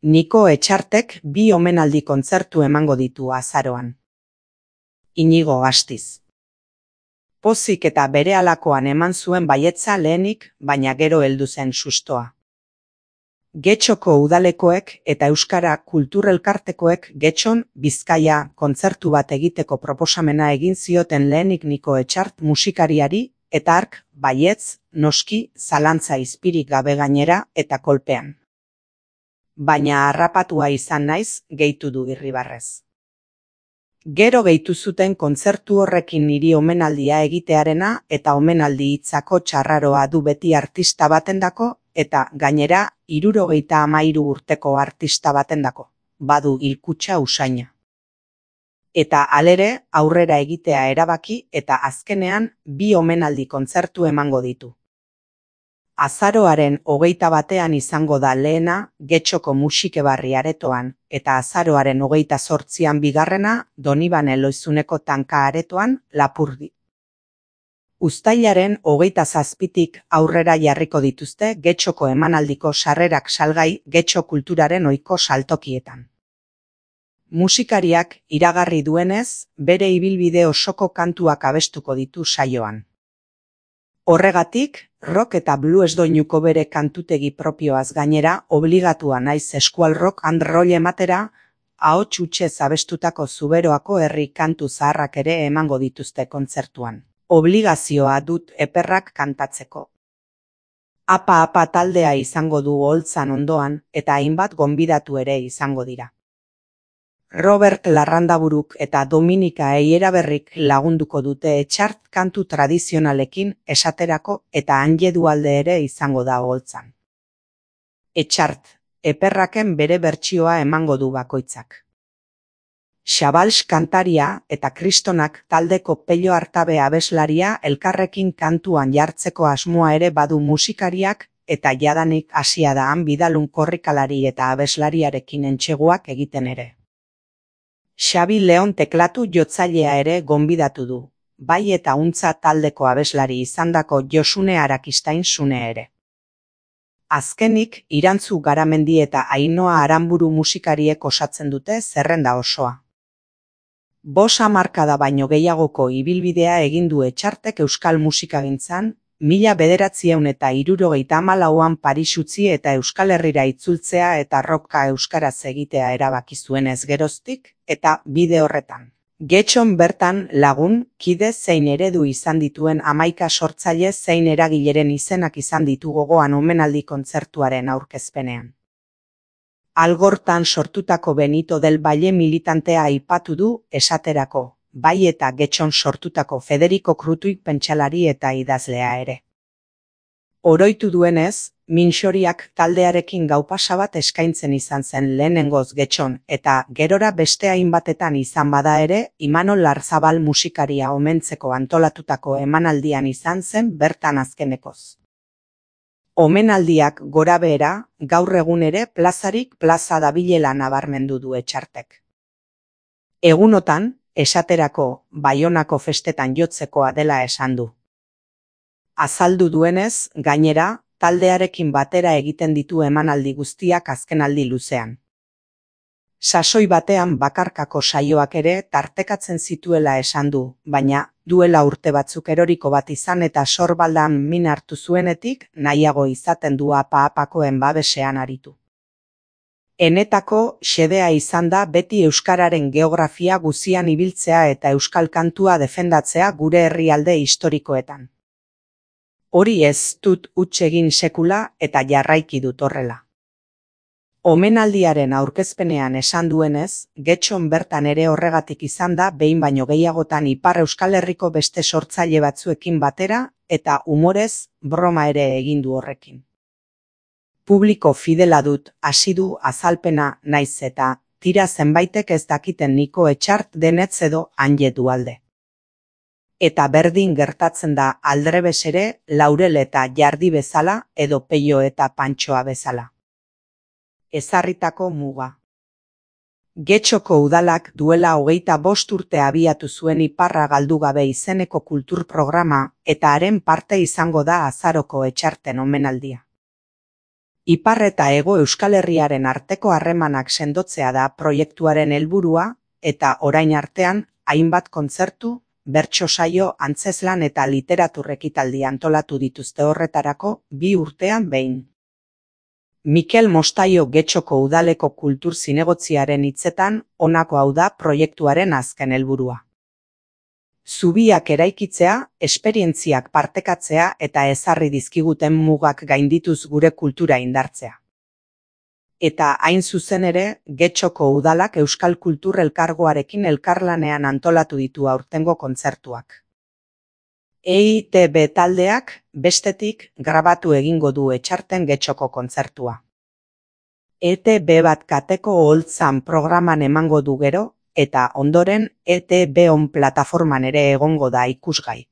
Niko Etxartek 2 omenaldi kontzertu emango ditu azaroan. Inigo Astiz. Pozik eta berehalakoan eman zuen baietza lehenik, baina gero heldu zen sustoa. Getxoko udalekoek eta Euskara Kulturelkartekoek Getxon, Bizkaia, kontzertu bat egiteko proposamena egin zioten lehenik Niko Etxart musikariari, eta hark, baietz, noski, zalantza izpirik gabe gainera eta kolpean. Baina harrapatua izan naiz, gehitu du Irribarrez. Gero gehitu zuten kontzertu horrekin niri omenaldia egitearena eta omenaldi hitzako txarraroa du beti artista batendako eta gainera 73 urteko artista batendako, badu hilkutxa usaina. Eta halere aurrera egitea erabaki eta azkenean 2 omenaldi kontzertu emango ditu. Azaroaren 21 izango da lehena Getxoko Musikebarri aretoan eta azaroaren 28 bigarrena Donibane Loizuneko Tanka aretoan Lapurdi. Uztailaren 27tik aurrera jarriko dituzte Getxoko emanaldiko sarrerak salgai Getxo Kulturaren ohiko saltokietan. Musikariak iragarri duenez, bere ibilbide osoko kantuak abestuko ditu saioan. Horregatik, rock eta blues doinuko bere kantutegi propioaz gainera obligatua naiz eskual rock and roll ematera, ahots hutsez abestutako Zuberoako herri kantu zaharrak ere emango dituzte kontzertuan. Obligazioa dut eperrak kantatzeko. Apa taldea izango du oholtzan ondoan eta hainbat gonbidatu ere izango dira. Robert Larrandaburuk eta Dominika Eieraberrik lagunduko dute Etxart kantu tradizionalekin esaterako eta Anje Dualde ere izango da oholtzan. Etxart, eperraken bere bertsioa emango du bakoitzak. Xabals kantaria eta Kristonak taldeko Pello Artabe abeslaria elkarrekin kantuan jartzeko asmoa ere badu musikariak eta jadanik hasia da han Bidalun korrikalari eta abeslariarekin entseguak egiten ere. Xabi Leon teklatu jotzailea ere gonbidatu du, bai eta untza taldeko abeslari izandako Josune Arakistain Sune ere. Azkenik, Irantzu Garamendi eta Ainoa Aranburu musikariek osatzen dute zerrenda osoa. 5 hamarkada baino gehiagoko ibilbidea egin du Etxartek euskal musikagintzan, 1974an Paris utzi eta Euskal Herrira itzultzea eta rocka euskaraz egitea erabaki zuenez geroztik, eta bide horretan. Getxon bertan lagun, kide zein eredu izan dituen 11 sortzaile zein eragileren izenak izan ditu gogoan omenaldi kontzertuaren aurkezpenean. Algortan sortutako Benito del Valle militantea aipatu du esaterako, bai eta Getxon sortutako Federico Krutuik pentsalari eta idazlea ere. Oroitu duenez, Minxoriak taldearekin gaupasa bat eskaintzen izan zen lehenengoz Getxon eta gerora beste hainbatetan izan bada ere, Imanol Larzabal musikaria omentzeko antolatutako emanaldian izan zen bertan azkenekoz. Omenaldiak gorabehera, gaur egun ere plazarik plaza dabilela nabarmendu du Etxartek. Egunotan, esaterako Baionako festetan jotzekoa dela esan du. Azaldu duenez, gainera, taldearekin batera egiten ditu emanaldi guztiak azkenaldi luzean. Sasoi batean bakarkako saioak ere tartekatzen zituela esan du, baina duela urte batzuk eroriko bat izan eta sorbaldan min hartu zuenetik nahiago izaten du apa-apakoen babesean aritu. Enetako xedea izan da beti euskararen geografia guzian ibiltzea eta euskal kantua defendatzea gure herrialde historikoetan. Hori ez dut huts egin sekula eta jarraiki dut horrela. Omenaldiaren aurkezpenean esan duenez, Getxon bertan ere horregatik izan da behin baino gehiagotan Ipar Euskal Herriko beste sortzaile batzuekin batera eta umorez broma ere egin du horrekin. Publiko fidela dut, hasi du azalpena naiz eta tira zenbaitek ez dakiten Niko Etxart denetz edo Anje Dualde. Eta berdin gertatzen da aldrebes ere Laurel eta Jardi bezala edo Peio eta Pantxoa bezala. Ezarritako muga. Getxoko udalak duela 25 urte abiatu zuen Iparra galdu gabe izeneko kultur programa eta haren parte izango da azaroko Etxarten omenaldia. Ipar eta Hego Euskal Herriaren arteko harremanak sendotzea da proiektuaren helburua eta orain artean hainbat kontzertu, bertso saio, antzezlan eta literatur ekitaldi antolatu dituzte horretarako 2 urtean behin. Mikel Mostaio Getxoko Udaleko Kultur Zinegotziaren hitzetan honako hau da proiektuaren azken helburua. Zubiak eraikitzea, esperientziak partekatzea eta ezarri dizkiguten mugak gaindituz gure kultura indartzea. Eta hain zuzen ere, Getxoko Udalak Euskal Kultur Elkargoarekin elkarlanean antolatu ditu aurtengo kontzertuak. EITB taldeak, bestetik, grabatu egingo du Etxarten Getxoko kontzertua. ETB bat kateko oholtzan programan emango du gero, eta ondoren ETB on plataforman ere egongo da ikusgai.